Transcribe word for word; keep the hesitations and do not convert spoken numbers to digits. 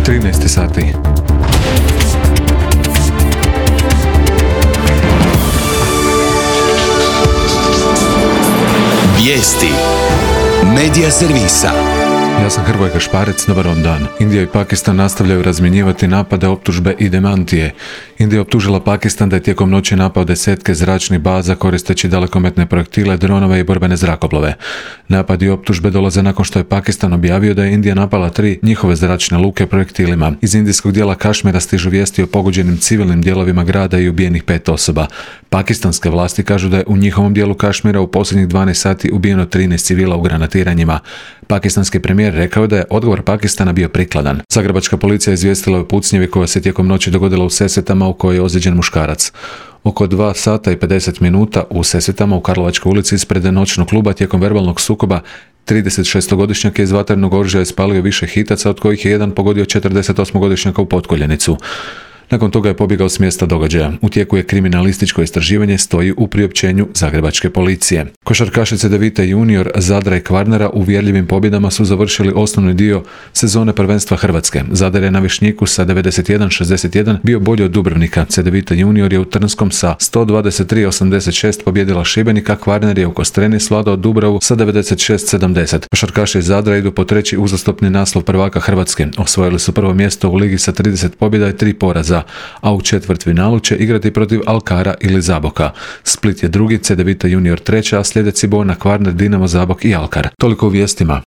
trinaest sati. Vijesti Medija servisa. Ja sam Hrvoje Gašparec, dobar vam dan. Indija i Pakistan nastavljaju razmjenjivati napade, optužbe i demantije. Indija je optužila Pakistan da je tijekom noći napao desetke zračnih baza koristeći dalekometne projektile, dronove i borbene zrakoplove. Napadi i optužbe dolaze nakon što je Pakistan objavio da je Indija napala tri njihove zračne luke projektilima. Iz indijskog dijela Kašmira stižu vijesti o pogođenim civilnim dijelovima grada i ubijenih pet osoba. Pakistanske vlasti kažu da je u njihovom dijelu Kašmira u posljednjih dvanaest sati ubijeno trinaest civila u granatiranjima. Pakistanski premijer rekao da je odgovor Pakistana bio prikladan. Zagrebačka policija izvijestila o pucnjevi koja se tijekom noći dogodila u Sesvetama u kojoj je ozlijeđen muškarac. Oko dva sata i pedeset minuta u Sesvetama u Karlovačkoj ulici ispred noćnog kluba tijekom verbalnog sukoba tridesetšestogodišnjak je iz vatrenog oružja ispalio više hitaca, od kojih je jedan pogodio četrdesetosmogodišnjaka u potkoljenicu. Nakon toga je pobjegao s mjesta događaja. U tijeku je kriminalističko istraživanje, stoji u priopćenju Zagrebačke policije. Košarkaši Cedevite junior, Zadra i Kvarnera uvjerljivim pobjedama su završili osnovni dio sezone prvenstva Hrvatske. Zadar je na Višnjiku sa devedeset jedan šezdeset jedan bio bolji od Dubrovnika. Cedevite junior je u Trnskom sa sto dvadeset tri osamdeset šest pobjedila Šibenika, Kvarner je u Kostreni svladao Dubravu sa devedeset šest sedamdeset. Košarkaši iz Zadra idu po treći uzastopni naslov prvaka Hrvatske. Osvojili su prvo mjesto u ligi sa trideset pobjeda i tri poraza, a u četvrtfinalu će igrati protiv Alkara ili Zaboka. Split je drugi, Cedevita junior treća, a slijede Cibona, Kvarner, Dinamo, Zabok i Alkar. Toliko u vijestima.